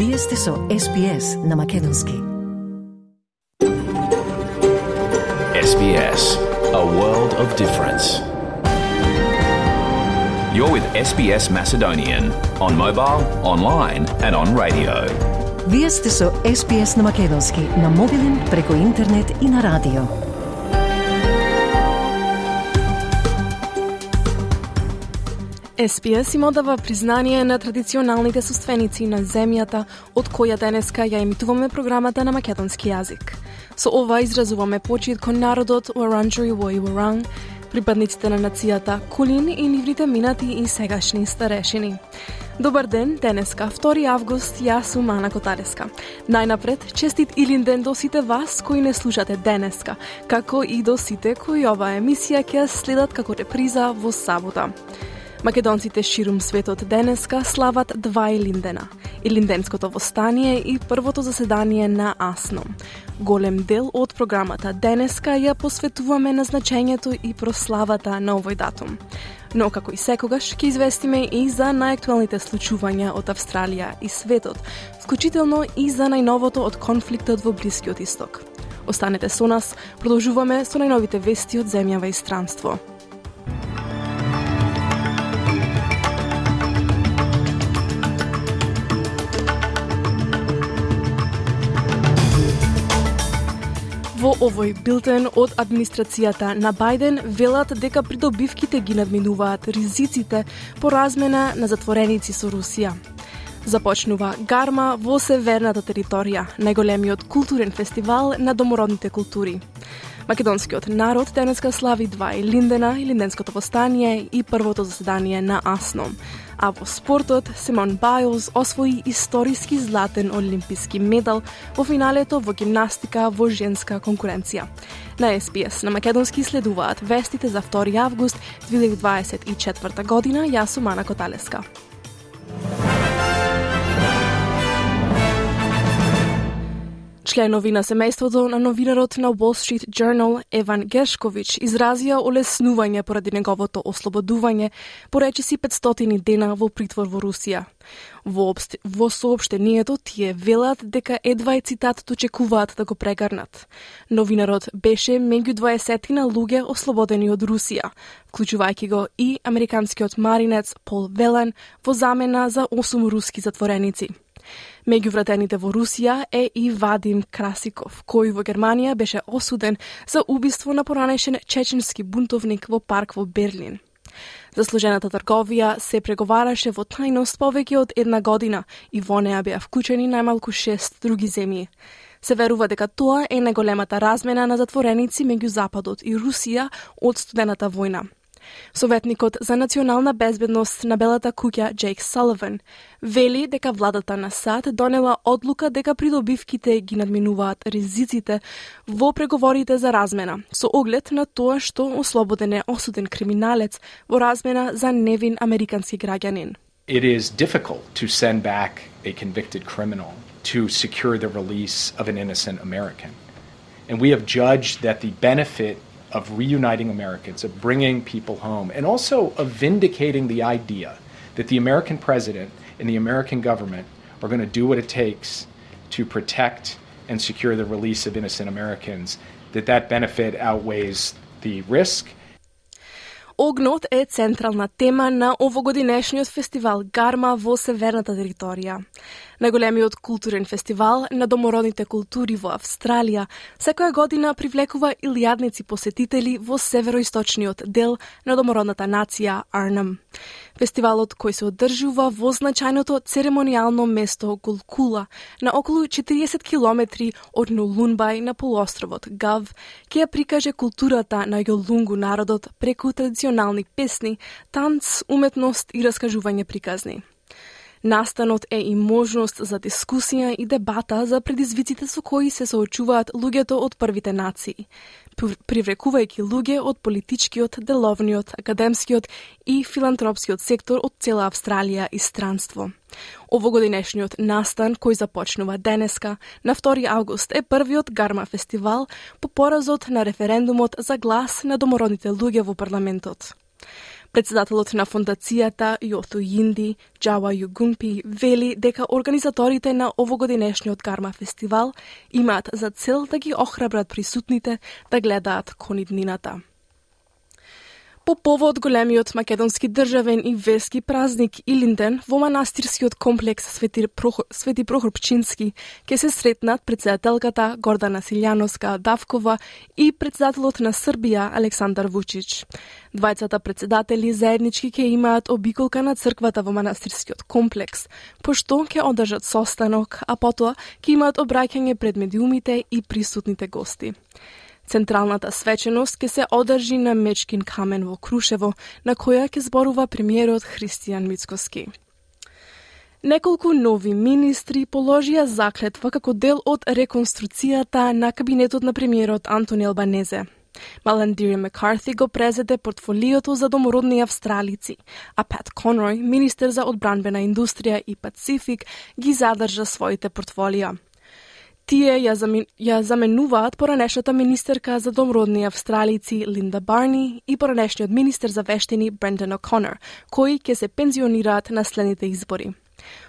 Вие сте со SBS на Македонски. SBS, a world of difference. You're with SBS Macedonian on mobile, online and on radio. Вие сте со SBS на Македонски на мобилен, преку интернет и на радио. SBS им одава признание на традиционалните соственици на земјата, од која денеска ја емитуваме програмата на македонски јазик. Со ова изразуваме почит кон народот Wurundjeri Woi Wurrung, припадниците на нацијата Кулин и нивните минати и сегашни старешини. Добар ден, денеска, 2 август, јас сум Ана Коталеска. Најнапред, честит Илинден до сите вас кои не слушате денеска, како и до сите кои оваа емисија ќе следат како реприза во сабота. Македонците ширум светот денеска слават 2 Илиндена. Илинденското востание и првото заседание на АСНО. Голем дел од програмата денеска ја посветуваме на значењето и прославата на овој датум. Но како и секогаш ќе известиме и за најактуелните случувања од Австралија и светот, вклучително и за најновото од конфликтот во Блискиот Исток. Останете со нас, продолжуваме со најновите вести од земјава и странство. Во овој билтен од администрацијата на Бајден велат дека придобивките ги надминуваат ризиците по размена на затвореници со Русија. Започнува гарма во северната територија, најголемиот културен фестивал на домородните култури. Македонскиот народ денеска слави 2 Илиндена, Илинденското востание и првото заседание на АСНО. А во спортот, Симон Бајлс освои историски златен олимписки медал во финалето во гимнастика во женска конкуренција. На SBS на Македонски следуваат вестите за 2 август 2024 година. Јас сум Ана Коталеска. Членови на семејството на новинарот на Wall Street Journal Еван Гершкович изразија олеснување поради неговото ослободување по речиси 500 дена во притвор во Русија. Во соопштението тие велат дека едва е цитат очекуваат да го прегарнат. Новинарот беше меѓу 20 луѓе ослободени од Русија, вклучувајќи го и американскиот маринец Пол Велен во замена за 8 руски затвореници. Меѓу вратените во Русија е и Вадим Красиков, кој во Германија беше осуден за убиство на поранешен чеченски бунтовник во парк во Берлин. За сложената трговија се преговараше во тајност повеќе од 1 година и во неа беа вклучени најмалку 6 други земји. Се верува дека тоа е најголемата размена на затвореници меѓу Западот и Русија од студената војна. Советникот за национална безбедност на Белата куќа Джейк Саливан вели дека владата на САД донела одлука дека придобивките ги надминуваат ризиците во преговорите за размена, со оглед на тоа што ослободен е осуден криминалец во размена за невин американски граѓанин. It is difficult to send back a convicted criminal to secure the release of an innocent American. And we have judged that the benefit of reuniting Americans, of bringing people home, and also of vindicating the idea that the American president and the American government are going to do what it takes to protect and secure the release of innocent Americans, that benefit outweighs the risk. Огнот е централна тема на овогодинешниот фестивал Гарма во северната територија. Најголемиот културен фестивал на домородните култури во Австралија секоја година привлекува илјадници посетители во североисточниот дел на домородната нација Арнем. Фестивалот кој се одржува во значајното церемонијално место Гулкула на околу 40 километри од Нулунбај на полуостровот Гав ќе ја прикаже културата на јолунгу народот преку традиционални песни, танц, уметност и раскажување приказни. Настанот е и можност за дискусија и дебата за предизвиците со кои се соочуваат луѓето од првите нации, привлекувајќи луѓе од политичкиот, деловниот, академскиот и филантропскиот сектор од цела Австралија и странство. Овогодинешниот настан, кој започнува денеска, на 2 август, е првиот Гарма фестивал по поразот на референдумот за глас на домородните луѓе во парламентот. Председателот на фондацијата Јоту Јинди, Джава Југумпи, вели дека организаторите на овогодинешниот Карма фестивал имаат за цел да ги охрабрат присутните да гледаат кон иднината. По повод големиот македонски државен и верски празник Илинден во манастирскиот комплекс Свети Прохор Пчински ќе се сретнат председателката Гордана Силјановска Давкова и председателот на Србија Александар Вучич. Двајцата председатели заеднички ќе имаат обиколка на црквата во манастирскиот комплекс, пошто ќе одржат состанок, а потоа ќе имаат обраќање пред медиумите и присутните гости. Централната свеченост ќе се одржи на Мечкин камен во Крушево, на која ќе зборува премиерот Христијан Мицкоски. Неколку нови министри положија заклетва како дел од реконструкцијата на кабинетот на премиерот Антони Албанезе. Маландири Маккарти го презеде портфолиото за домородни австралици, а Пат Конрој, министер за одбранбена индустрија и Пацифик, ги задржа своите портфолија. Тие ја заменуваат поранешната министерка за домородни австралици Линда Барни и поранешниот министер за вештини Брендан О'Конор, кои ќе се пензионираат на следните избори.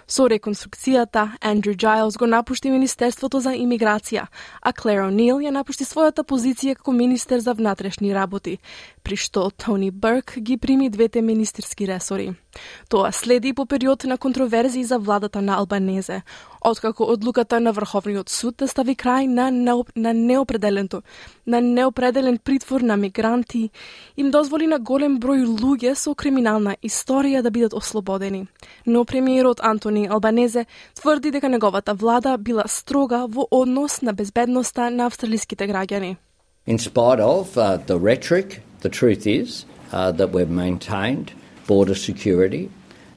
Со реконструкцијата, Андрю Джайлс го напушти Министерството за имиграција, а Клер О'Нил ја напушти својата позиција како министер за внатрешни работи, при што Тони Бурк ги прими двете министерски ресори. Тоа следи по период на контроверзии за владата на Албанезе, откако одлуката на Врховниот суд да стави крај на неопределен притвор на мигранти им дозволи на голем број луѓе со криминална историја да бидат ослободени. Но премиерот Антони Албанезе тврди дека неговата влада била строга во однос на безбедноста на австралиските граѓани. In spite of the rhetoric, the truth is that we've maintained border security.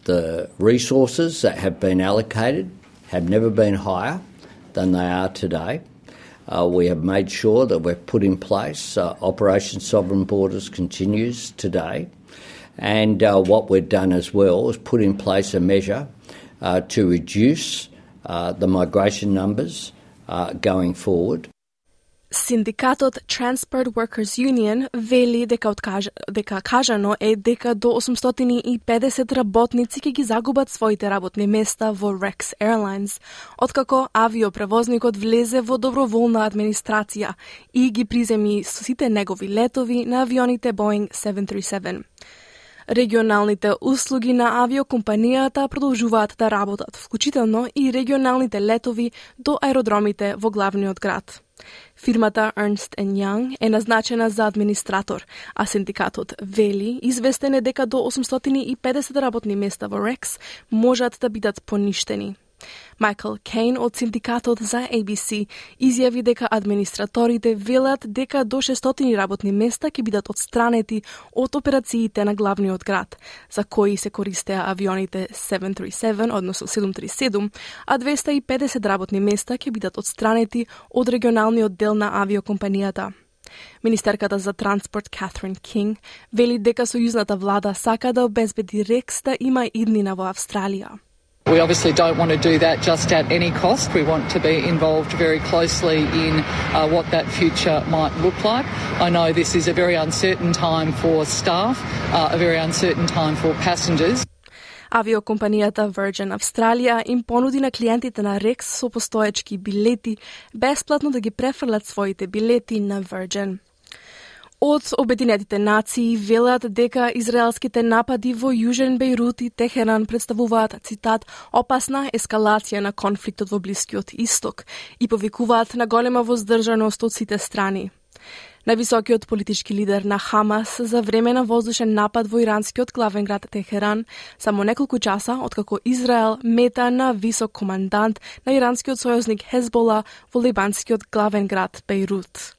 The resources that have been allocated have never been higher than they are today. We have made sure that we've put in place Operation Sovereign Borders continues today. And what we've done as well is put in place a measure to reduce the migration numbers going forward. Синдикатот Transport Workers Union вели дека кажано е дека до 850 работници ќе ги загубат своите работни места во Rex Airlines, откако авиопревозникот влезе во доброволна администрација и ги приземи сите негови летови на авионите Boeing 737. Регионалните услуги на авиокомпанијата продолжуваат да работат, вклучително и регионалните летови до аеродромите во главниот град. Фирмата Ernst & Young е назначена за администратор, а синдикатот вели известен е дека до 850 работни места во Rex можат да бидат поништени. Майкл Кейн од синдикатот за ABC изјави дека администраторите велат дека до 600 работни места ќе бидат отстранети од операциите на главниот град, за кои се користеа авионите 737, односно 737, а 250 работни места ќе бидат отстранети од регионалниот дел на авиокомпанијата. Министерката за транспорт Катрин Кинг вели дека сојузната влада сака да обезбеди Рекс да има иднина во Австралија. We obviously don't want to do that just at any cost. We want to be involved very closely in what that future might look like. I know this is a very uncertain time for staff, a very uncertain time for passengers. Авиокомпанијата Virgin Australia им понуди на клиентите на Rex со постоечки билети бесплатно да ги префрлат своите билети на Virgin. Од Обединетите нации велат дека израелските напади во Јужен Бејрут и Техеран представуваат, цитат, опасна ескалација на конфликтот во Блискиот Исток и повикуваат на голема воздржаност од сите страни. Највисокиот политички лидер на Хамас за време на воздушен напад во иранскиот главен град Техеран само неколку часа откако Израел мета на висок командант на иранскиот сојузник Хезбола во либанскиот главен град Бејрут.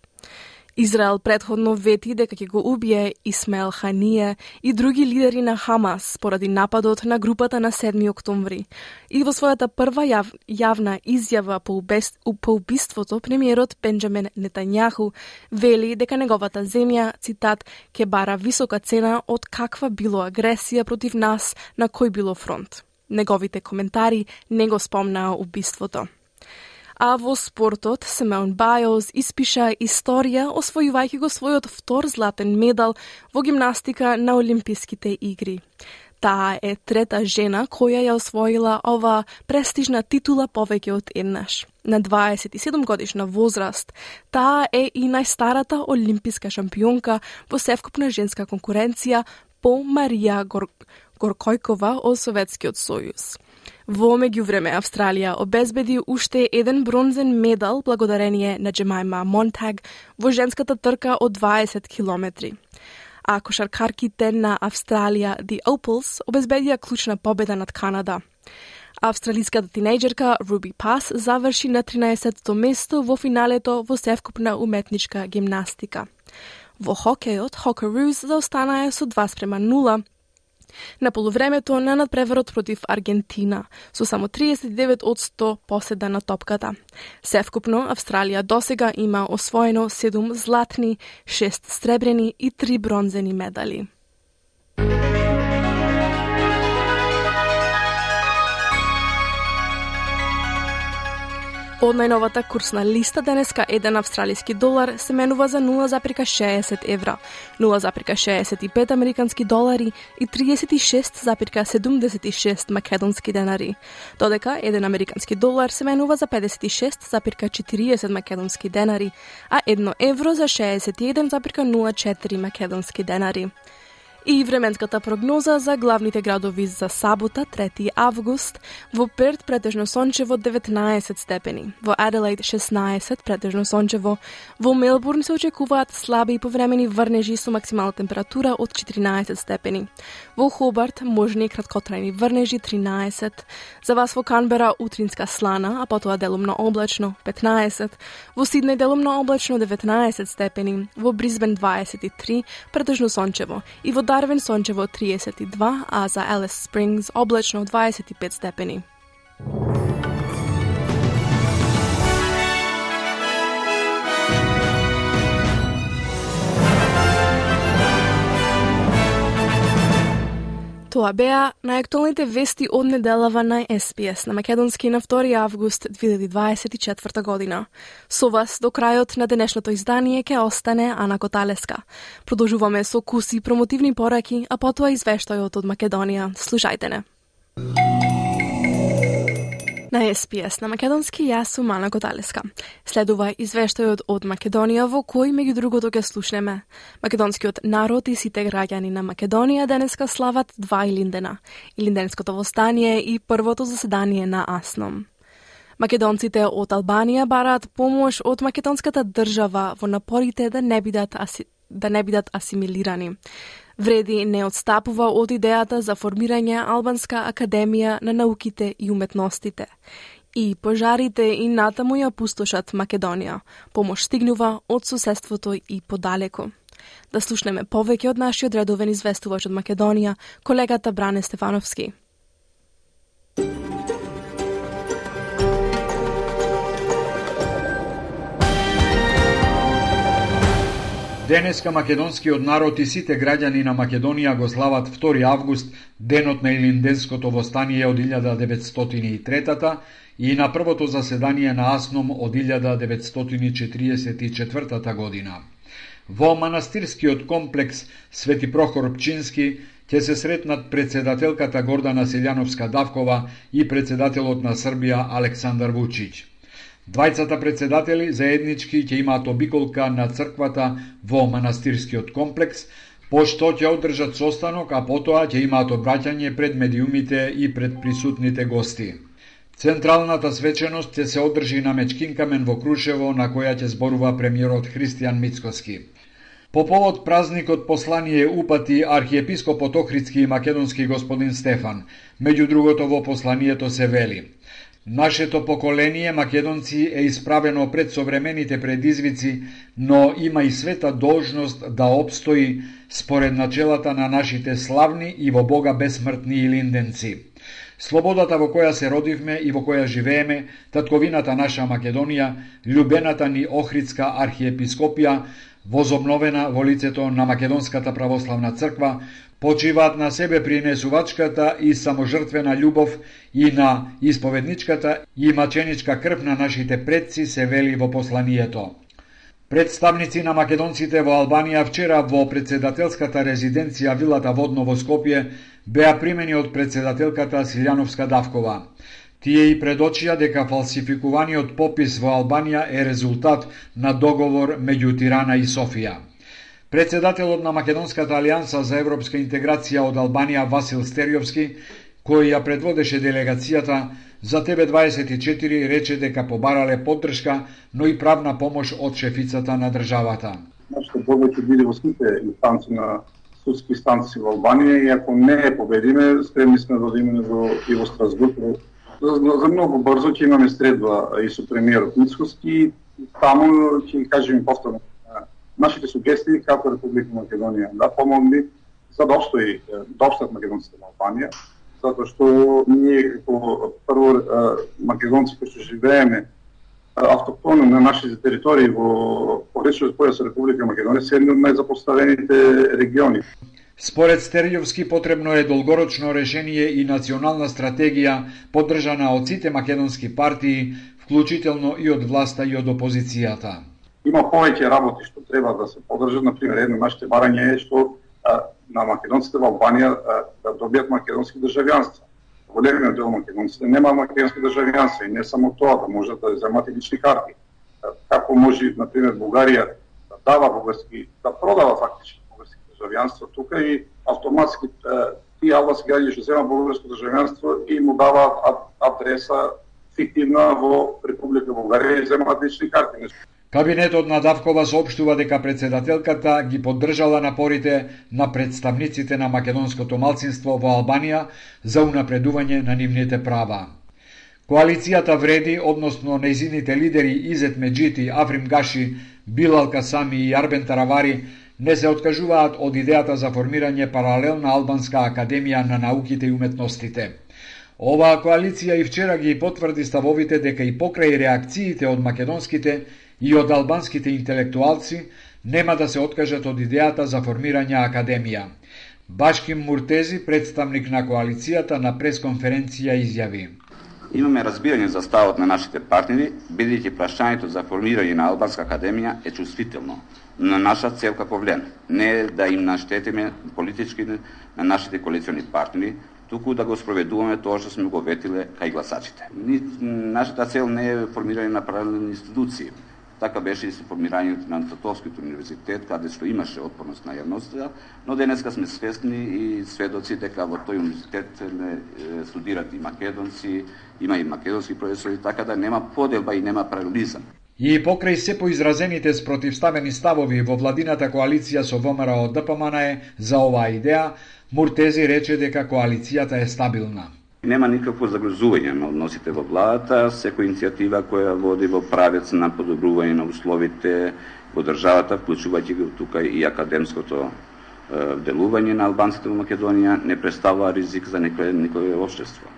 Израел претходно вети дека ќе го убие Исмаел Ханија и други лидери на Хамас поради нападот на групата на 7 октомври. И во својата прва јавна изјава по убиството, премиерот Бенџамин Нетањаху вели дека неговата земја, цитат, ќе бара висока цена од каква било агресија против нас на кој било фронт. Неговите коментари не го спомнаа убиството. А во спортот, Симеон Бајлс испиша историја, освојувајќи го својот втор златен медал во гимнастика на Олимписките игри. Таа е трета жена која ја освоила ова престижна титула повеќе од еднаш. На 27 годишна возраст, таа е и најстарата олимписка шампионка во севкупна женска конкуренција по Марија Горкојкова од Советскиот сојуз. Во меѓувреме, Австралија обезбеди уште еден бронзен медал благодарение на Джемајма Монтаг во женската трка од 20 километри. А кошаркарките на Австралија, The Opals, обезбедија клучна победа над Канада. Австралиската тинејџерка Руби Пас заврши на 13-то место во финалето во севкупна уметничка гимнастика. Во хокејот, Hockeyroos заостанаа со 2:0 на полувремето на надпреварот против Аргентина, со само 39% поседа на топката. Севкупно, Австралија досега има освоено 7 златни, 6 сребрени и 3 бронзени медали. Од најновата курсна листа денеска еден австралиски долар се менува за 0,60 евра, 0,65 американски долари и 36,76 македонски денари, додека еден американски долар се менува за 56,40 македонски денари, а 1 евро за 61,04 македонски денари. И временската прогноза за главните градови за сабота, 3 август, во Перт претежно сончево 19 степени, во Аделаид 16 претежно сончево, во Мелбурн се очекуваат слаби и повремени врнежи со максимална температура од 14 степени, во Хобарт можни и краткотрајни врнежи 13, за вас во Канбера утринска слана, а потоа делумно облачно 15, во Сиднеј делумно облачно 19 степени, во Брисбен 23 претежно сончево и во Дарвин сончево 32, а за Елис Спрингс облачно 25 степени. Тоа беа најактуелните вести од неделава на SPS на македонски на 2 август 2024 година. Со вас до крајот на денешното издание ќе остане Ана Коталеска. Продолжуваме со куси промотивни пораки, а потоа извештајот од Македонија. Слушајте не. На SPS на македонски јас сум Ана Коталеска. Следува извештајот од Македонија во кој меѓу другото ќе слушнеме. Македонскиот народ и сите граѓани на Македонија денеска слават 2 Илиндена. Илинденското востание и првото заседание на АСНОМ. Македонците од Албанија бараат помош од македонската држава во напорите да не бидат асимилирани. Вреди не отстапува од идејата за формирање Албанска академија на науките и уметностите. И пожарите и натаму ја пустошат Македонија. Помош стигнува од соседството и подалеку. Да слушнеме повеќе од нашиот редовен известувач од Македонија, колегата Бране Стефановски. Денеска македонскиот народ и сите граѓани на Македонија го слават 2 август, денот на Илинденското востание од 1903 и на првото заседание на АСНОМ од 1944 година. Во манастирскиот комплекс Свети Прохор Пчински ќе се сретнат председателката Гордана Селјановска-Давкова и председателот на Србија Александар Вучиќ. Двајцата председатели заеднички ќе имаат обиколка на црквата во манастирскиот комплекс, пошто ќе одржат состанок, а потоа ќе имаат обраќање пред медиумите и пред присутните гости. Централната свеченост ќе се одржи на Мечкинкамен во Крушево, на која ќе зборува премиерот Христијан Мицкоски. По повод празникот послание упати архиепископот Охридски и македонски господин Стефан. Меѓу другото во посланието се вели: Нашето поколение македонци е исправено пред современите предизвици, но има и света должност да обстои според начелата на нашите славни и во Бога бесмртни илинденци. Слободата во која се родивме и во која живееме, татковината наша Македонија, љубената ни Охридска архиепископија, возобновена во лицето на Македонската православна црква, почиваат на себе принесувачката и саможртвена љубов и на исповедничката и маченичка крв на нашите предци, се вели во посланието. Представници на македонците во Албанија вчера во председателската резиденција вилата Водно во Скопје беа примени од председателката Силјановска Давкова. Тие и предочија дека фалсификуваниот попис во Албанија е резултат на договор меѓу Тирана и Софија. Председателот на Македонската алијанса за европска интеграција од Албанија Васил Стериовски, кој ја предводеше делегацијата, за ТВ24 рече дека побарале поддршка, но и правна помош од шефицата на државата. Нашите борби ќе биде во сите инстанции на судски инстанции во Албанија и ако не е победиме, спремни сме да одиме и во Страсбург. За многу брзо ќе имаме средба и со премиерот Мицкоски, таму ќе кажеме повторно нашите сугестии како Република Македонија да помогни за да обстојат македонците во Албанија, затоа што ние како прво македонци кои што живееме автохтоно на нашите територии во речниот појас Република Македонија се едни од најзапоставените региони. Според Стериовски потребно е долгорочно решение и национална стратегија поддржана од сите македонски партии, вклучително и од власта и од опозицијата. Има повеќе работи што треба да се поддржат, например, едно нашите барање е што на македонците во Албанија да добијат македонски државјанства. Големиот дел македонците нема македонски државјанства и не само тоа, да можат да земат и лични карти. Како може, например, Бугарија да дава бугарски, да продава фактички бугарски државјанства тука и автоматски тие албански граѓани што земат бугарско државјанство и му даваат адреса фиктивна во Република Бугарија и земаат лични карти. Кабинетот на Давкова соопштува дека председателката ги поддржала напорите на представниците на македонското малцинство во Албанија за унапредување на нивните права. Коалицијата Вреди, односно нејзините лидери Изет Меджити, Африм Гаши, Билал Касами и Арбен Таравари не се откажуваат од идејата за формирање паралелна албанска академија на науките и уметностите. Оваа коалиција и вчера ги потврди ставовите дека и покрај реакциите од македонските и од албанските интелектуалци нема да се откажат од идејата за формирање академија. Башким Муртези, представник на коалицијата, на пресконференција изјави: Имаме разбирање за ставот на нашите партнери, бидејќи прашањето за формирање на албанска академија е чувствително. На наша цел како влен не е да им наштетиме политички на нашите коалициони партнери, туку да го спроведуваме тоа што сме го ветиле кај гласачите. Нашата цел не е формирање на паралелни институции. Така беше и со формирањето на Татовскиот универзитет, каде што имаше отпорност на јавноста, но денеска сме свесни и сведоци дека во тој универзитет студираат и македонци, има и македонски професори, така да нема поделба и нема паралелизам. И покрај се поизразените спротивставени ставови во владината коалиција со ВМРО ДПМН за оваа идеја, Муртези рече дека коалицијата е стабилна. Нема никакво загрозување на односите во владата, секоја иницијатива која води во правец на подобрување на условите во државата, вклучувајќи го тука и академското делување на албанците во Македонија, не представува ризик за никое општество.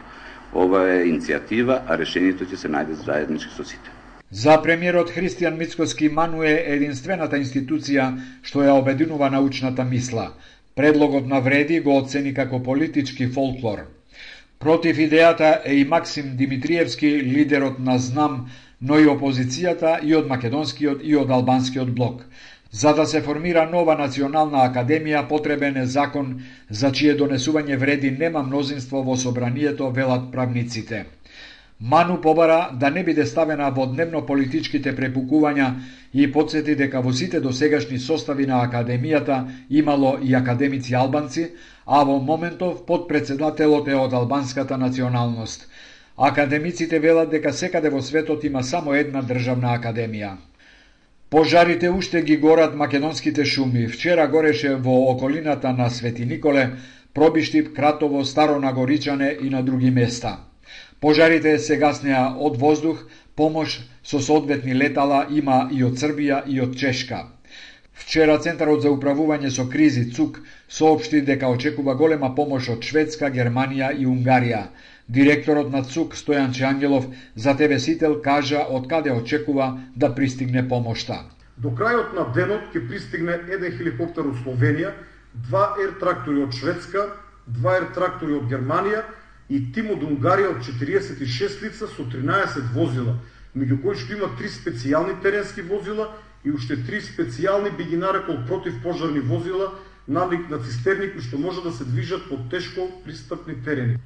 Ова е иницијатива, а решението ќе се најде заеднички со сите. За премиерот Христијан Мицкоски МАНУ е единствената институција што ја обединува научната мисла. Предлогот на Вреди го оцени како политички фолклор. Против идејата е и Максим Димитриевски, лидерот на ЗНАМ, но и опозицијата и од македонскиот и од албанскиот блок. За да се формира нова национална академија, потребен е закон за чие донесување Вреди нема мнозинство во собранието, велат правниците. МАНУ побара да не биде ставена во дневно политичките препукувања и потсети дека во сите досегашни состави на академијата имало и академици албанци, а во моментов подпредседателот е од албанската националност. Академиците велат дека секаде во светот има само една државна академија. Пожарите уште ги горат македонските шуми. Вчера гореше во околината на Свети Николе, Пробиштип, Кратово, Старо Нагоричане и на други места. Пожарите се гаснеа од воздух, помош со соодветни летала има и од Србија и од Чешка. Вчера Центарот за управување со кризи ЦУК соопшти дека очекува голема помош од Шведска, Германија и Унгарија. Директорот на ЦУК Стојан Чангелов за ТВ Сител кажа од каде очекува да пристигне помошта. До крајот на денот ќе пристигне еден хеликоптер од Словенија, 2 ер-трактори од Шведска, 2 ер-трактори од Германија и тим од Унгарија од 46 лица со 13 возила, меѓу кои што има 3 специјални теренски возила и уште 3 специјални би ги нарекол противпожарни возила налик на цистерни кои што може да се движат по тешко пристапни терени.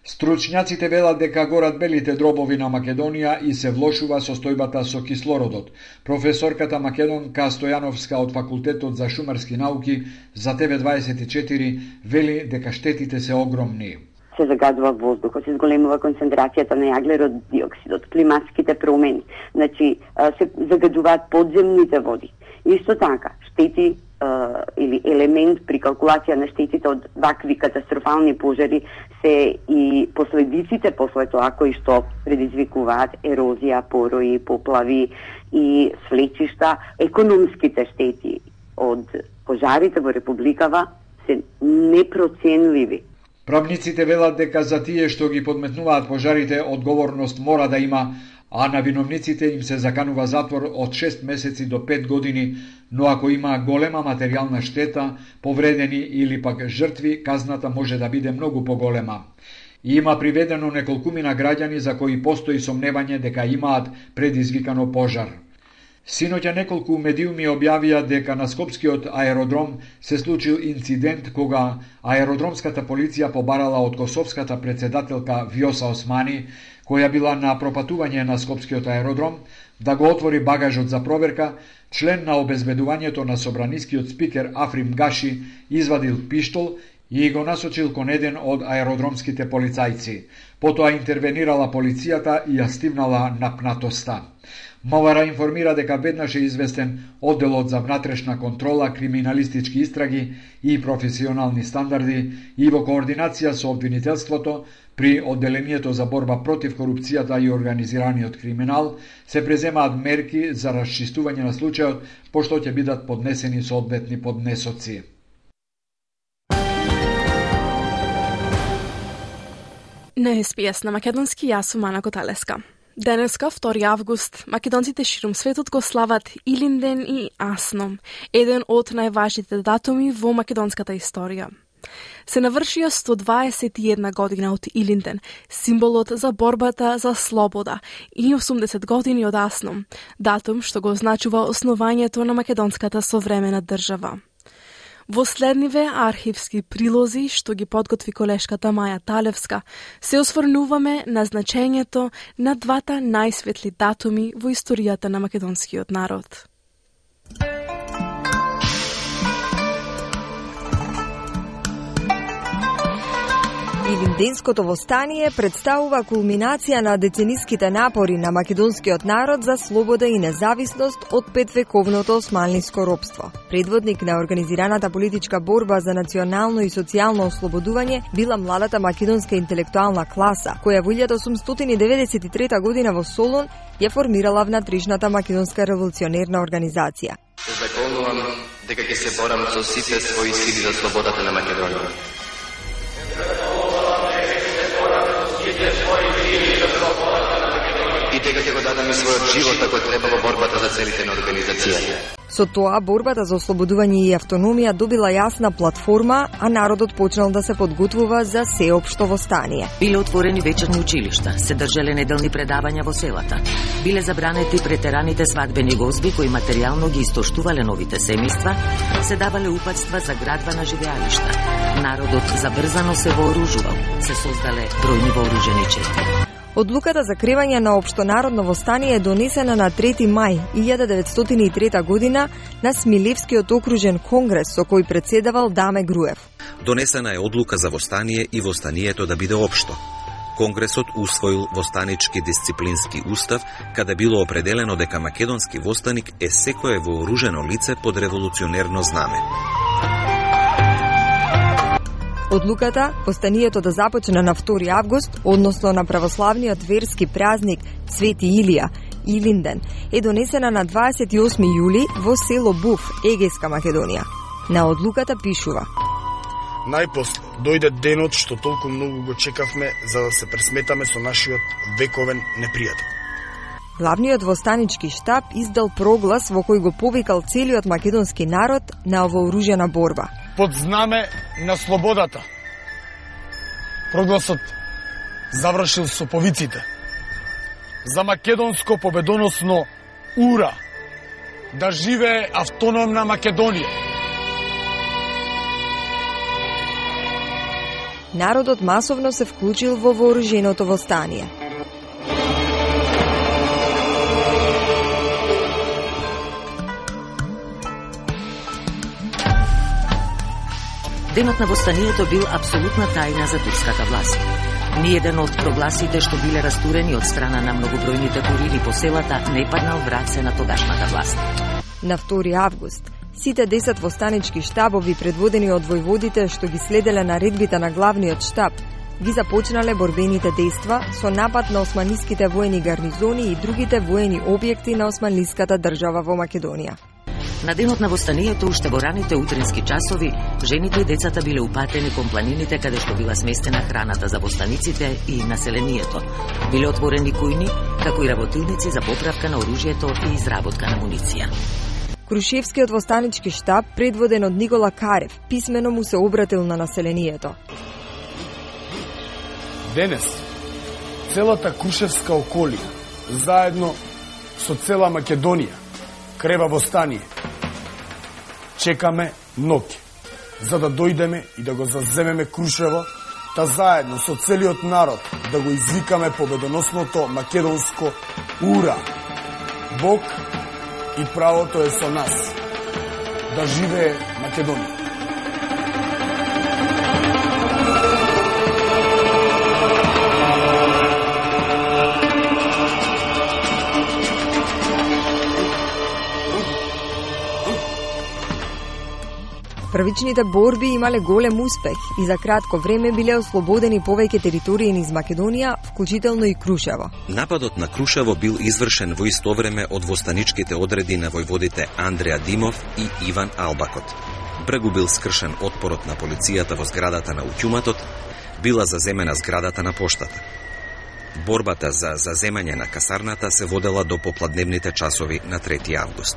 Стручњаците велат дека горат белите дробови на Македонија и се влошува состојбата со кислородот. Професорката Македонка Стојановска од Факултетот за шумарски науки за TV24 вели дека штетите се огромни. Се загадува воздухот, се зголемува концентрацијата на јаглерод диоксидот, климатските промени, значи се загадуваат подземните води. Исто така, штети или елемент при калкулација на штетите од вакви катастрофални пожари се и последиците после тоа кои што предизвикуваат ерозија, порои, поплави и слечишта. Економските штети од пожарите во Републикава се непроценливи. Правниците велат дека за тие што ги подметнуваат пожарите одговорност мора да има, а на виновниците им се заканува затвор од 6 месеци до 5 години, но ако има голема материјална штета, повредени или пак жртви, казната може да биде многу поголема. И има приведено неколкумина граѓани за кои постои сомневање дека имаат предизвикано пожар. Синоќа неколку медиуми објавија дека на Скопскиот аеродром се случил инцидент кога аеродромската полиција побарала од косовската председателка Вјоса Османи, која била на пропатување на Скопскиот аеродром, да го отвори багажот за проверка. Член на обезбедувањето на собранискиот спикер Африм Гаши извадил пиштол и го насочил кон еден од аеродромските полицајци. Потоа интервенирала полицијата и ја стивнала напнатоста. МВР информира дека веднаш е известен одделот за внатрешна контрола, криминалистички истраги и професионални стандарди и во координација со обвинителството при одделението за борба против корупцијата и организираниот криминал се преземаат мерки за расчистување на случајот, пошто ќе бидат поднесени соодветни поднесоци. На СПС на македонски јас сум Ана Коталеска. Денеска, 2 август, македонците ширум светот го слават Илинден и Асном, еден од најважните датуми во македонската историја. Се навршија 121 година од Илинден, символот за борбата за слобода, и 80 години од Асном, датум што го означува основањето на македонската современа држава. Во следниве архивски прилози, што ги подготви колешката Маја Талевска, се осврнуваме на значењето на двата најсветли датуми во историјата на македонскиот народ. Илинденското востание представува кулминација на децениските напори на македонскиот народ за слобода и независност од 5-вековното османлиско робство. Предводник на организираната политичка борба за национално и социјално ослободување била младата македонска интелектуална класа, која во 1893 година во Солун ја формирала внатрешната македонска револуционерна организација. Се законувам дека ќе се борам со сите своји сили за слободата на Македонија. И дека ќе го дадам и својот живот ако треба во борбата за целите на организацијата. Со тоа, борбата за ослободување и автономија добила јасна платформа, а народот почнал да се подготвува за сеопшто востание. Биле отворени вечерни училишта, се држале неделни предавања во селата. Биле забранети претераните свадбени гозби кои материјално ги истоштувале новите семејства, се давале упатства за градба на живеалишта. Народот забрзано се вооружувал, се создале бројни вооружени чети. Одлуката за кревање на општонародно востание е донесена на 3 мај 1903 година на Смилевскиот окружен конгрес со кој председавал Даме Груев. Донесена е одлука за востание и востанието да биде општо. Конгресот усвоил востанички дисциплински устав, каде било определено дека македонски востаник е секое вооружено лице под револуционерно знаме. Одлуката, востанието да започне на 2 август, односно на православниот верски празник Свети Илија, Илинден, е донесена на 28 јули во село Буф, Егејска Македонија. На одлуката пишува: Најпосле дојде денот што толку многу го чекавме за да се пресметаме со нашиот вековен непријател. Главниот востанички штаб издал проглас во кој го повикал целиот македонски народ на вооружена борба. Под знаме на слободата. Прогласот завршил со повиците: за македонско победоносно ура! Да живее автономна Македонија! Народот масовно се вклучил во вооруженото востание. Денот на востанието бил апсолутна тајна за турската власт. Ниеден од прогласите што биле растурени од страна на многобројните курири по селата не паднал в раце на тогашната власт. На 2 август, сите 10 востанички штабови предводени од војводите што ги следеле наредбите на главниот штаб, ги започнале борбените дејства со напад на османлиските воени гарнизони и другите воени објекти на османлиската држава во Македонија. На денот на востанието, уште во раните утрински часови, жените и децата биле упатени кон планините каде што била сместена храната за востаниците и населението. Биле отворени кујни, како и работилници за поправка на оружјето и изработка на муниција. Крушевскиот востанички штаб, предводен од Никола Карев, писмено му се обратил на населението. Денес, целата Крушевска околија, заедно со цела Македонија, крева востание. Чекаме ноќе, за да дојдеме и да го заземеме Крушево, та заедно со целиот народ да го извикаме победоносното македонско ура! Бог и правото е со нас. Да живее Македонија! Првичните борби имале голем успех и за кратко време биле ослободени повеќе територии низ Македонија, вклучително и Крушево. Нападот на Крушево бил извршен во исто време од востаничките одреди на војводите Андреа Димов и Иван Албакот. Бргу бил скршен отпорот на полицијата во зградата на утјуматот, била заземена зградата на поштата. Борбата за заземање на касарната се водела до попладневните часови на 3 август.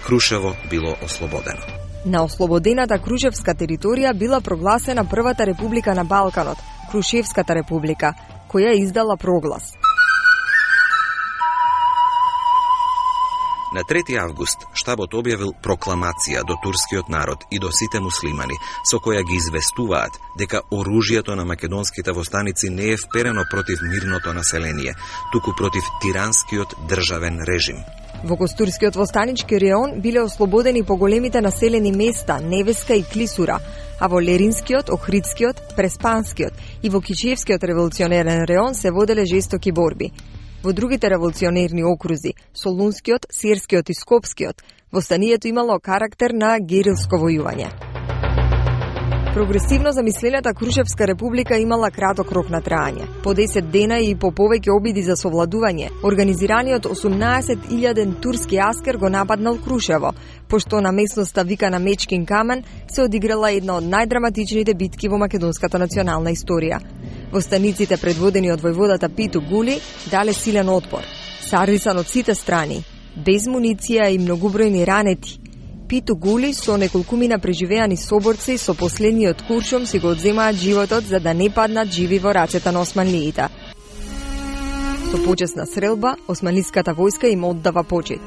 Крушево било ослободено. На ослободената Крушевска територија била прогласена првата република на Балканот, Крушевската република, која издала проглас. На 3 август штабот објавил прокламација до турскиот народ и до сите муслимани, со која ги известуваат дека оружјето на македонските востаници не е вперено против мирното население, туку против тиранскиот државен режим. Во Костурскиот востанички реон биле ослободени поголемите населени места Невеска и Клисура, а во Леринскиот, Охридскиот, Преспанскиот и во Кичевскиот револуционерен реон се воделе жестоки борби. Во другите револуционерни окрузи, Солунскиот, Серскиот и Скопскиот, востанието имало карактер на герилско војување. Прогресивно замислената Крушевска република имала краток рок на траење. По 10 дена и по повеќе обиди за совладување, организираниот 18.000 турски аскер го нападнал Крушево, пошто на местноста викана Мечкин камен се одиграла една од најдраматичните битки во македонската национална историја. Востаниците, предводени од војводата Питу Гули, дале силен отпор, саррисан од сите страни, без муниција и многобројни ранети. Питу Гули со неколкумина преживеани соборци со последниот куршум си го одземаат животот за да не паднат живи во рацете на османлиите. Со почесна стрелба, османлиската војска им оддава почит.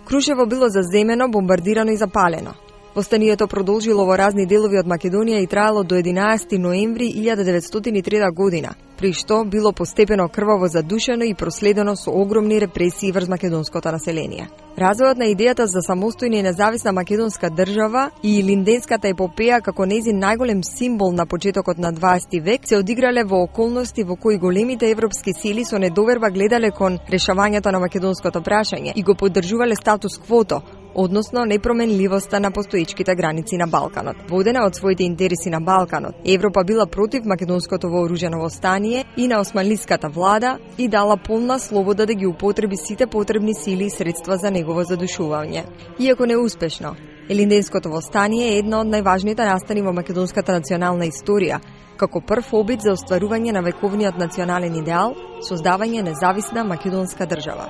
Крушево било заземено, бомбардирано и запалено. Востанието продолжило во разни делови од Македонија и траело до 11 ноември 1903 година, при што било постепено крваво задушено и проследено со огромни репресии врз македонското население. Развојот на идејата за самостојна и независна македонска држава и Линденската епопеја како нејзин најголем символ на почетокот на 20 век се одиграле во околности во кои големите европски сили со недоверба гледале кон решавањето на македонското прашање и го поддржувале статус квото, односно непроменливоста на постоечките граници на Балканот. Водена од своите интереси на Балканот, Европа била против македонското вооружено востание и на османлиската влада и дала полна слобода да ги употреби сите потребни сили и средства за негово задушување. Иако неуспешно, Елинденското востание е една од најважните настани во македонската национална историја, како прв обид за остварување на вековниот национален идеал, создавање независна македонска држава.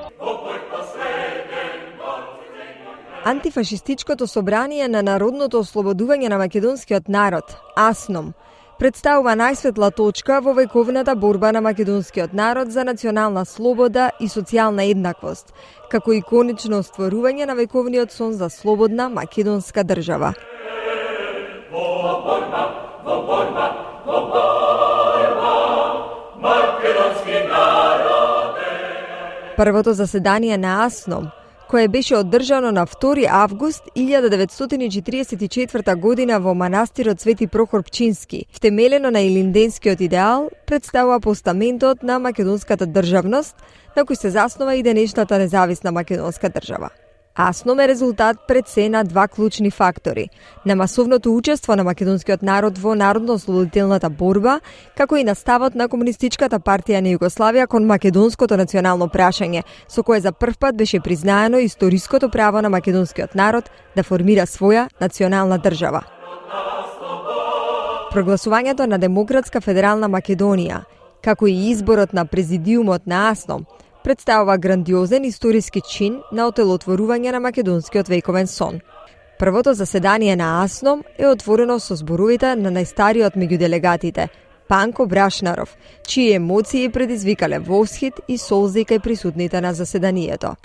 Антифашистичкото собрание на Народното ослободување на македонскиот народ, АСНОМ, представува најсветла точка во вековната борба на македонскиот народ за национална слобода и социјална еднаквост, како и конечно остварување на вековниот сон за слободна македонска држава. Првото заседание на АСНОМ, кое беше одржано на 2 август 1944 година во манастирот Свети Прохор Пчински, втемелено на илинденскиот идеал, представува постаментот на македонската државност, на кој се заснова и денешната независна македонска држава. АСНОМ е резултат пред се на два клучни фактори: на масовното учество на македонскиот народ во народно-ослободителната борба, како и на ставот на Комунистичката партија на Југославија кон македонското национално прашање, со кое за прв пат беше признаено историското право на македонскиот народ да формира своја национална држава. Прогласувањето на Демократска федерална Македонија, како и изборот на президиумот на АСНОМ, представува грандиозен историски чин на отелотворување на македонскиот вековен сон. Првото заседание на АСНОМ е отворено со зборовите на најстариот меѓу делегатите, Панко Брашнаров, чии емоции предизвикале восхит и солзи кај присутните на заседанието.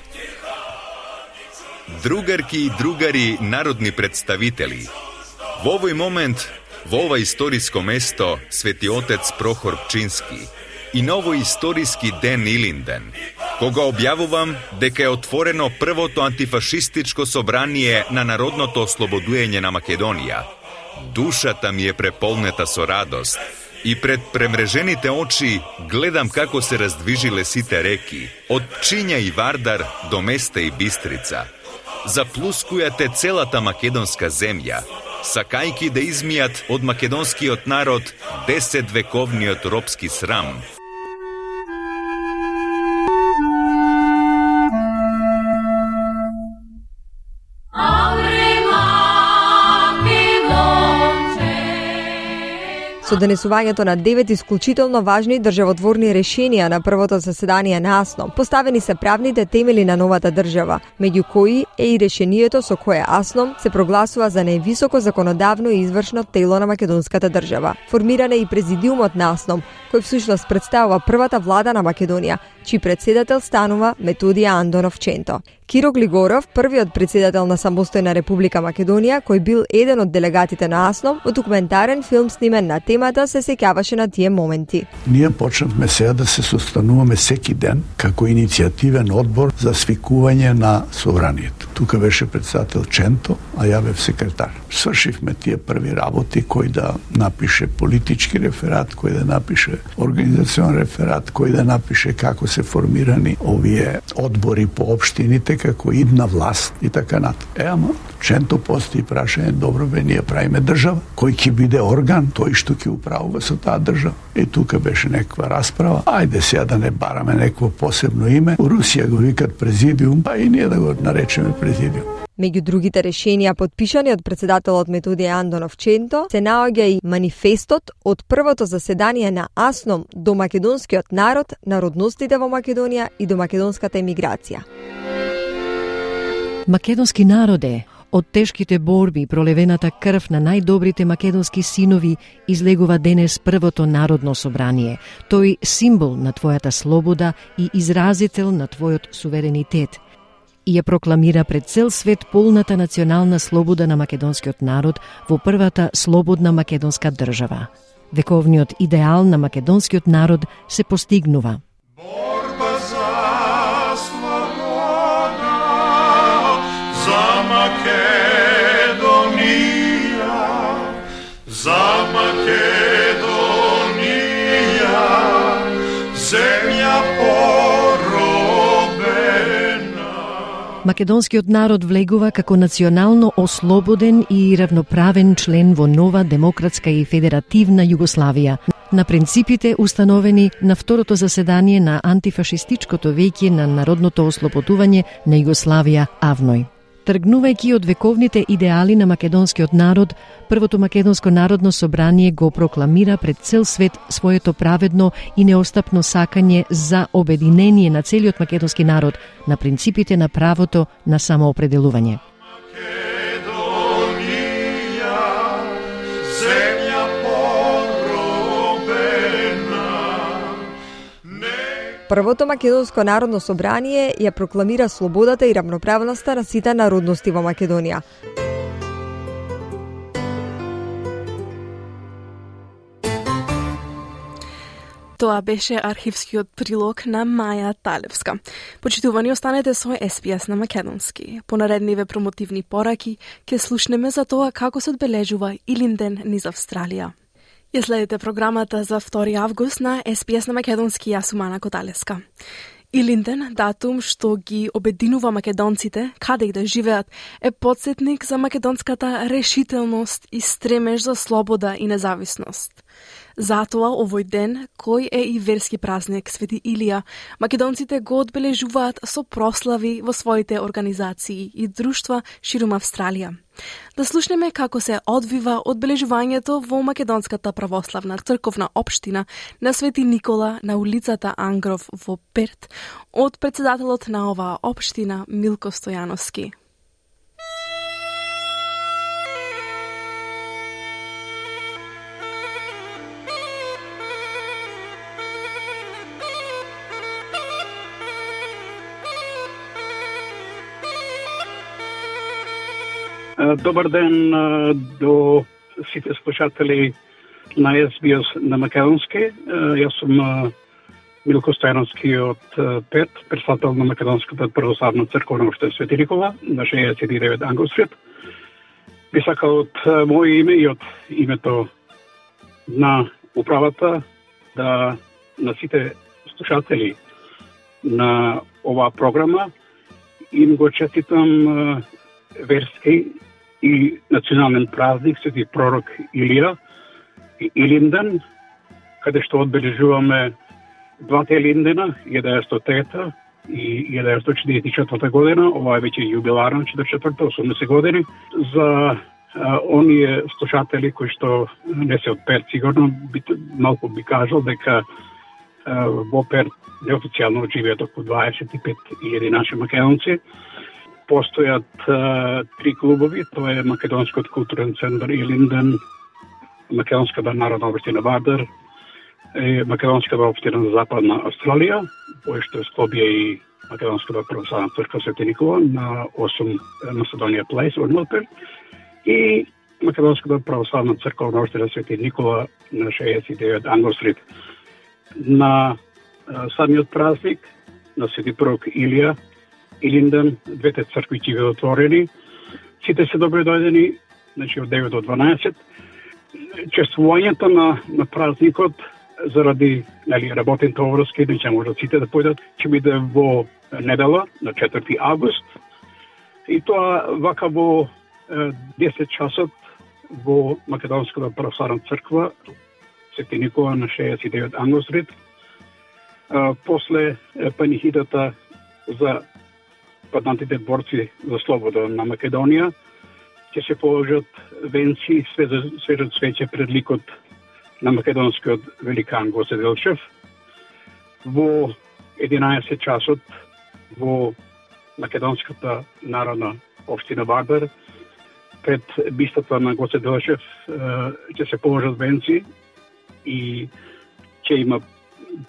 Другарки и другари народни представители, во овој момент, во ова историско место, Свети Отец Прохор Пчински, и на овој историски ден Илинден, кога објавувам дека е отворено првото антифашистичко собрание на Народното ослободување на Македонија, душата ми е преполнета со радост и пред премрежените очи гледам како се раздвижиле сите реки, од Пчиња и Вардар до Места и Бистрица. Заплускујате целата македонска земја, сакајки да измијат од македонскиот народ 10 вековниот робски срам. Со донесувањето на 9 исклучително важни државотворни решенија на првото заседание на АСНОМ, поставени се правните темели на новата држава, меѓу кои е и решението со кое АСНОМ се прогласува за највисоко законодавно и извршно тело на македонската држава. Формиран е и президиумот на АСНОМ, кој всушност представува првата влада на Македонија, чиј председател станува Методија Андонов Ченто. Киро Глигоров, првиот председател на самостојна Република Македонија, кој бил еден од делегатите на АСНОМ, во документарен филм снимен на темата се сеќаваше на тие моменти. Ние почнавме сега да се состануваме секи ден како иницијативен одбор за свикување на собранието. Тука беше председател Ченто, а ја бев секретар. Свршивме тие први работи, кој да напише политички реферат, кој да напише организацион реферат, кој да напише како се формирани овие одбори по општините, како идна власт и така натаму. Ама Ченто постои прашање, добро бе, ние правиме држава, кој ќе биде орган, тој што ќе управува со таа држава. И тука беше некаква расправа. Ајде сега да не бараме некакво посебно име. У Русија го викат президиум, па и ние да го наречеме президиум. Меѓу другите решенија подпишани од председателот Методија Андонов Ченто се наоѓа и манифестот од првото заседание на АСНОМ до македонскиот народ, народностите во Македонија и до македонската емиграција. Македонски народе, од тешките борби и пролевената крв на најдобрите македонски синови излегува денес првото народно собрание. Тој символ на твојата слобода и изразител на твојот суверенитет. И ја прокламира пред цел свет полната национална слобода на македонскиот народ во првата слободна македонска држава. Вековниот идеал на македонскиот народ се постигнува. Борба за слобода, за Македонија, за Македонија, земја Македонскиот народ влегува како национално ослободен и равноправен член во нова демократска и федеративна Југославија, на принципите установени на второто заседание на антифашистичкото веќе на народното ослободување на Југославија АВНОј. Тргнувајќи од вековните идеали на македонскиот народ, првото македонско народно собрание го прокламира пред цел свет своето праведно и неостапно сакање за обединение на целиот македонски народ на принципите на правото на самоопределување. Првото македонско народно собрание ја прокламира слободата и равноправноста на сите народности во Македонија. Тоа беше архивскиот прилог на Маја Талевска. Почитувани, останете со SPS на македонски. По наредниве промотивни пораки ќе слушнеме за тоа како се одбележува Илинден низ Австралија. Ја следите програмата за 2 август на SPS на македонски, јас сум Ана Коталеска. Илинден, датум што ги обединува македонците, каде и да живеат, е потсетник за македонската решителност и стремеж за слобода и независност. Затоа овој ден, кој е и верски празник Свети Илија, македонците го одбележуваат со прослави во своите организации и друштва ширум Австралија. Да слушнеме како се одвива одбележувањето во Македонската православна црковна општина на Свети Никола на улицата Ангров во Перт од председателот на оваа општина Милко Стојановски. Добар ден до сите слушатели на SBS на македонски. Јас сум Милко Стојановски од Перт, председател на Македонската православна црковна општина Свети Никола на 69 Англ Стрит. Би сакал од моје име и од името на управата да на сите слушатели на оваа програма им го честитам верски и национален празник Свети пророк Илија и Илинден, каде што одбележуваме двата Илиндена, 1900 и 1944 година, ова е веќе јубиларна 44-та, 80 години. За оние слушатели кои што не се од Перт, сигурно малку би кажал дека во Перт неофицијално живеат околу 25.000 наши македонци. Постојат 3 клубови, тоа е Македонскиот културен центар Илинден, Македонската народна општина Вардар, Македонската општина за Западна Австралија, кој што склобија и Македонската православна црква Свети Никола на 8 Macedonian Place во Милперт и Македонската православна црква општина Свети Никола на 69 Англ Стрит. На самиот празник на Свети пророк Илија Илинден, двете цркви ќе бидат отворени. Сите се добре дојдени, значи од 9 до 12. Чествувањето на празникот заради работните обврски, не ќе можат сите да појдат, ќе биде во недела на 4 август. И тоа вака во 10 часот во Македонската православна црква Свети Никола на 69 Англ Стрит. После панихидата за паднатите борци за слобода на Македонија ќе се положат венци и свежат свеќе пред ликот на македонскиот великан Гоце Делчев. Во 11 часот во Македонската народна општина Вардар пред бистата на Гоце Делчев ќе се положат венци и ќе има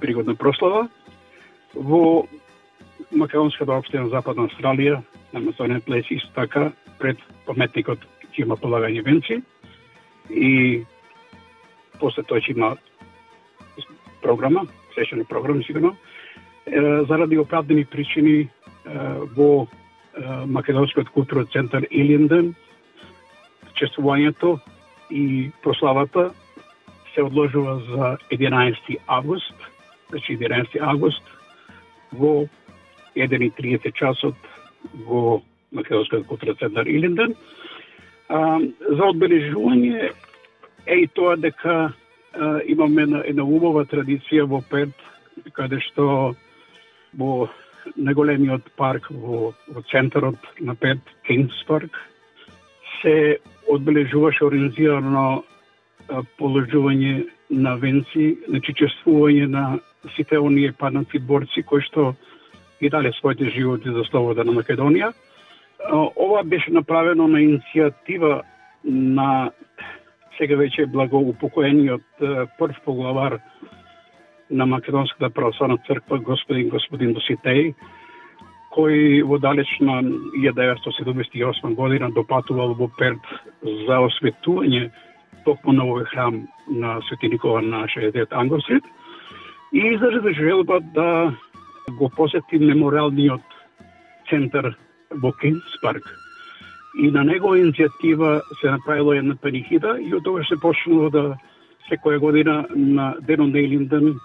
пригодна прослава. Во Македонската општина Западна Австралија на Macedonian Place исто така пред паметникот ќе има полагање венци и после тоа ќе има програма, свечена програма сигурно. Заради оправдани причини во Македонскиот културен центар Илинден чествувањето и прославата се одложува за 11 август, значи 11 август во 1:30 часот во Македонскиот културен центар Илинден. За одбележување е и тоа дека имаме една убава традиција во Перт, каде што во најголемиот парк во центарот на Перт, Кингс парк, се одбележуваше организирано положување на венци, значи чествување на сите оние паднати борци кои што и дале своите животи за слобода на Македонија. Ова беше направено на иницијатива на сега веќе благоупокоениот прв поглавар на Македонската православна црква господин Доситеј, кој во далечна 1978 година допатувал во Перт за осветување токму на овој храм на Свети Никола на 69 Англстрит и изрази желба да го посети мемориалниот центар во Кинс парк. И на негова иницијатива се направила една панихида и од тогаш се почнало да секоја година на денот на Илинден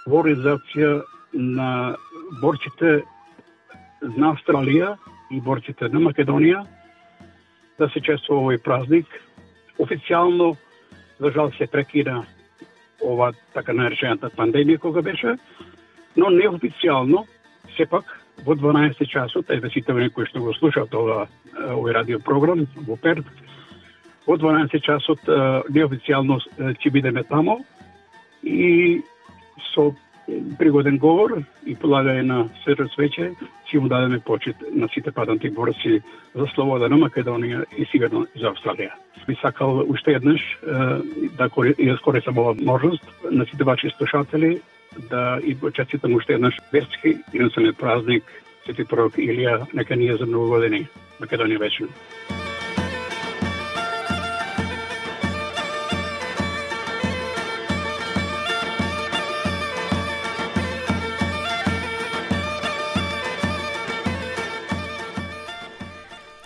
во организација на борците на Австралија и борците на Македонија да се чествува овој празник. Официјално, за жал, се прекина ова така наречената пандемија кога беше, но неофицијално, сепак, во 12 часот, еве сите кои што го слушаат овој радиопрограм во Перт, во 12 часот неофицијално ќе бидеме тамо и со пригоден говор и полагање на свето свеќе ќе му дадеме почит на сите паднати борци за слобода на Македонија и сигурно за Австралија. Би сакал уште еднаш да искористам ова можност на сите ваши слушатели да и честитам уште еднаш верски и национален празник Свети пророк Илија, нека ние за многу години. Македонија вечна.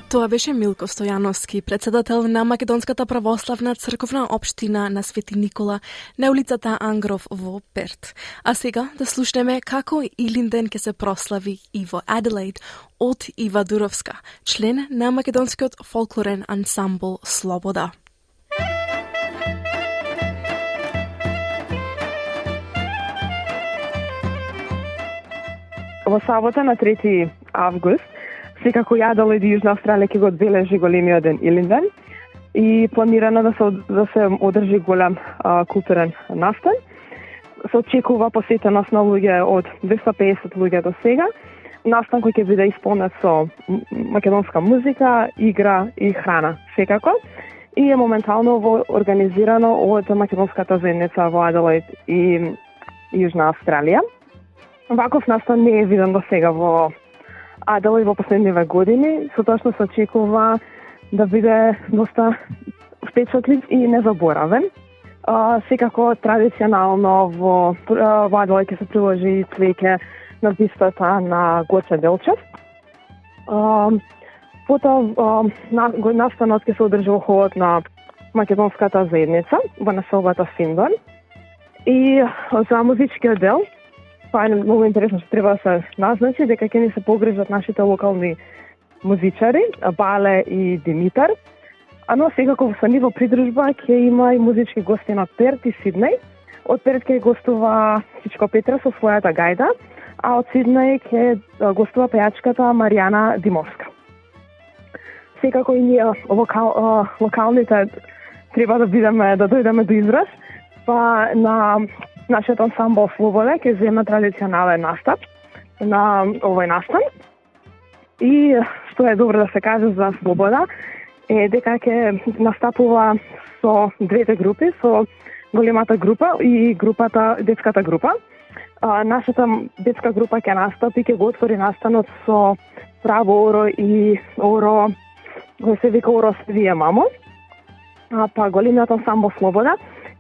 Тоа беше Милко Стојановски, председател на Македонската православна црковна општина на Свети Никола на улицата Ангров во Перт. А сега да слушнеме како Илинден ќе се прослави и во Аделаид од Ива Дуровска, член на македонскиот фолклорен ансамбл Слобода. Во сабота на 3 август секако и Аделаид и Јужна Австралија ќе го одбележи големиот ден Илинден и планирано да се одржи голем културен настан. Се очекува посетеност на луѓе од 250 луѓе до сега. Настан кој ќе биде исполнет со македонска музика, игра и храна секако. И е моментално организирано од македонската заедница во Аделаид и Јужна Австралија. Ваков настан не е виден до сега во Аделаид во последниве години, сотошно се очекува да биде доста впечатлив и незаборавен. Секако традиционално во Аделаид ќе се приложи цвеќе на бистата на Гоце Делчев. Потоа настанот ќе се одржи во холот на македонската заедница во населбата Финдон. И за музичкиот дел, тоа е многу интересно што треба да се назначи, дека ќе ни се погрижат нашите локални музичари, Бале и Димитар. Но секако со ниво придружба ќе има и музички гости на Перт и Сиднеј. Од Перт ќе гостува Сичко Петра со својата гајда, а од Сиднеј ќе гостува пејачката Маријана Димовска. Секако и ние локалните треба да дојдеме до израз, па на нашиот ансамбл Слобода ќе зема традиционален настап на овој настан. И што е добро да се каже за Слобода е дека ќе настапува со двете групи, со големата група и детската група. Нашата детска група ќе настапи, ќе го отвори настанот со право оро и оро кој се вика Оро Свие мамо. Па големиот ансамбл Слобода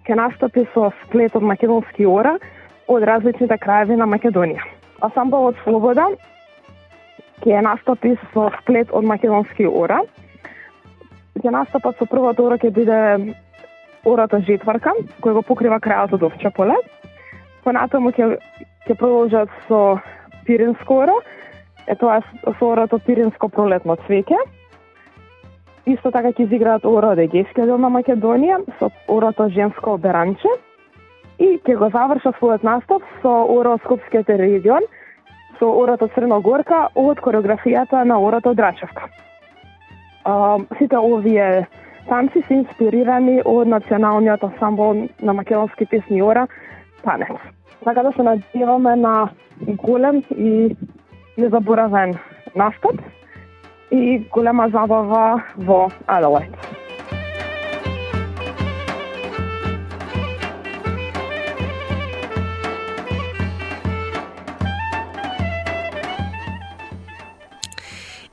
ќе настапи со сплет од македонски ора од различните краеви на Македонија. Ансамблот Слобода ќе настапи со сплет од македонски ора. Ќе настапат со првото ора ќе биде ората Жетварка, кој го покрива крајот од Овча поле. Понатаму ќе продолжат со Пиринско оро, тоа е со орато Пиринско пролетно цвеќе. Исто така ќе изиграат ора од Егејскиот дел на Македонија со орато Женско Беранче и ќе го завршат својот настап со ора од Скопскиот регион, со орато Црногорка од кореографијата на орато Драчевка. Сите овие танци се инспирирани од националниот ансамбл на македонски песни ора Танец. Така да се надеваме на голем и незаборавен настап и голема забава во Аделаид.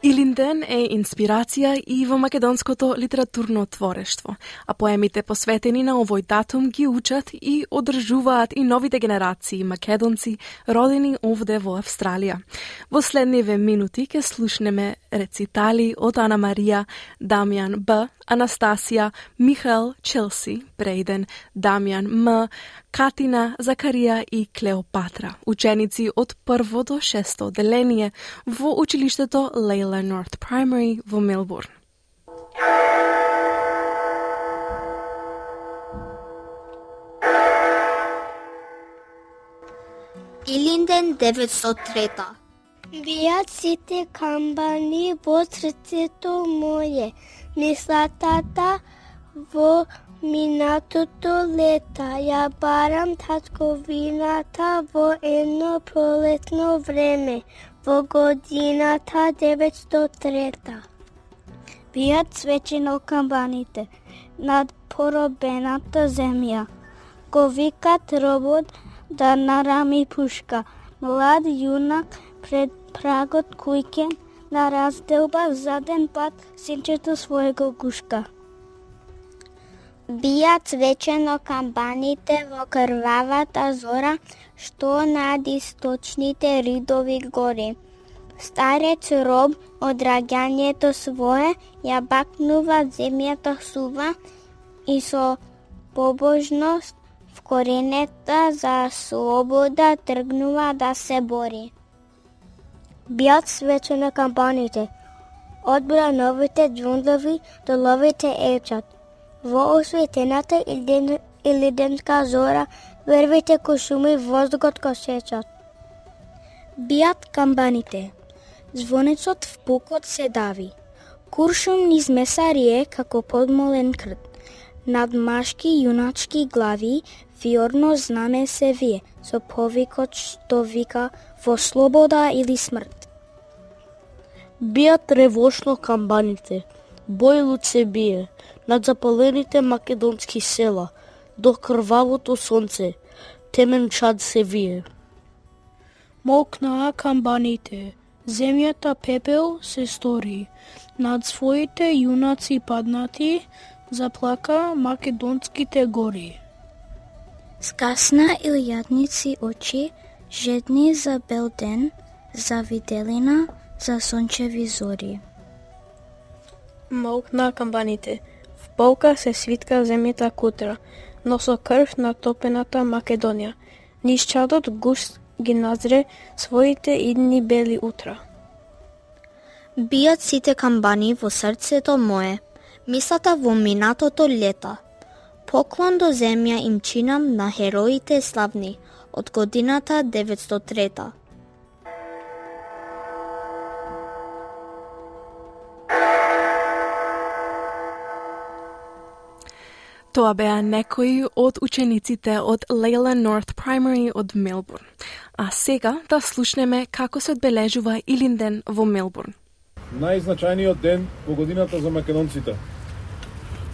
Илинден е инспирација и во македонското литературно творештво, а поемите посветени на овој датум ги учат и одржуваат и новите генерации македонци родени овде во Австралија. Во следниве минути ќе слушнеме рецитали од Ана Марија, Дамјан Б, Анастасија, Михаел, Челси, Брейден, Дамјан М, Катина, Закарија и Клеопатра, ученици од 1 до 6 одделение во училиштето Лейла North Primary во Мелбурн. Илинден 903. Бијат сите камбани во срцето моје, мислатата во минатото лета. Ја барам татковината во едно пролетно време, во годината 903. Бијат свечено камбаните над поробената земја. Го викат робот да нарами пушка. Млад јунак пред прагот кујке на разделба заден пат синчето својего гушка. Бијат свечено камбаните во крвавата зора, што над источните ридови гори. Старец роб од раѓањето свое ја бакнува земјата сува и со побожност вкоренета за слобода тргнува да се бори. Бијат свечено камбаните, одбра новите џунглови до ловите ечат. Во осветената илиденска зора, вервите ко шуми воздухот ко сечат. Бијат камбаните, звонецот в пукот се дави. Куршум низ месарие како подмолен крд. Над машки јуначки глави виорно знаме се вие, со повикот што вика во слобода или смрт. Бијат ревошно камбаните, бојлут се бие, над запалените македонски села, до крвавото сонце, темен чад се вие. Молкнаа камбаните, земјата пепел се стори, над своите јунаци паднати, заплака македонските гори. Скасна илјадници очи, жедни за бел ден, за виделина, за сончеви зори. Молкна камбаните, в полка се свитка земјата кутра, но со крв натопената Македонија. Низ чадот густ ги назре своите идни бели утра. Бијат сите камбани во срцето мое, мислата во минатото лета. Поклон до земја им чинам на хероите славни од годината 903. Тоа беа некои од учениците од Лейла North Primary од Мелбурн. А сега да слушнеме како се одбележува Илинден во Мелбурн. Најзначајниот ден во годината за македонците.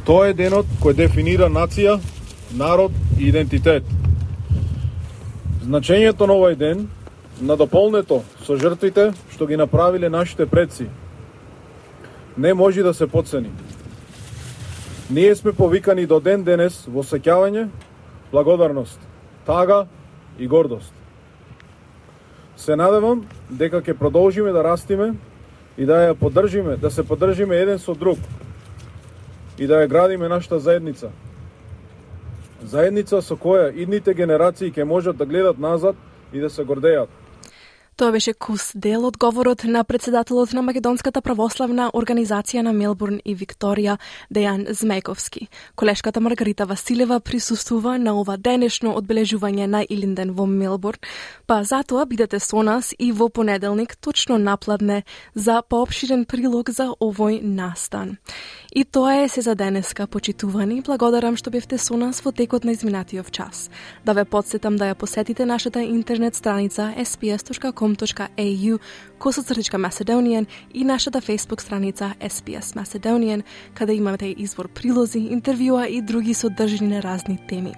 Тоа е денот кој дефинира нација, народ и идентитет. Значењето на овој ден, надополнето со жртвите што ги направиле нашите предци, не може да се потцени. Ние сме повикани до ден денес во сеќавање, благодарност, тага и гордост. Се надевам дека ќе продолжиме да растиме и да ја поддржиме, да се поддржиме еден со друг и да ја градиме нашата заедница. Заедница со која идните генерации ќе можат да гледат назад и да се гордеат. Тоа беше кус дел од говорот на председателот на Македонската православна организација на Мелбурн и Викторија, Дејан Змејковски. Колешката Маргарита Василева присуствува на ова денешно одбележување на Илинден во Мелбурн, па затоа бидете со нас и во понеделник точно напладне за поопширен прилог за овој настан. И тоа е се за денеска, почитувани. Благодарам што бевте со нас во текот на изминатиот час. Да ве потсетам да ја посетите нашата интернет страница sps.com.au/Macedonian и нашата Facebook страница SPS Macedonian, каде имате извор прилози, интервјуа и други содржини на разни теми.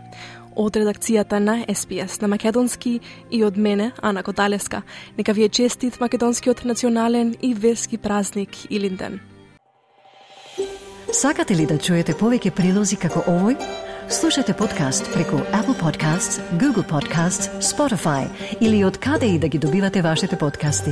Од редакцијата на SPS на македонски и од мене, Ана Кодалевска, нека ви е честит македонскиот национален и верски празник Илинден. Сакате ли да чуете повеќе прилози како овој? Слушате подкаст преку Apple Podcasts, Google Podcasts, Spotify или од каде и да ги добивате вашите подкасти.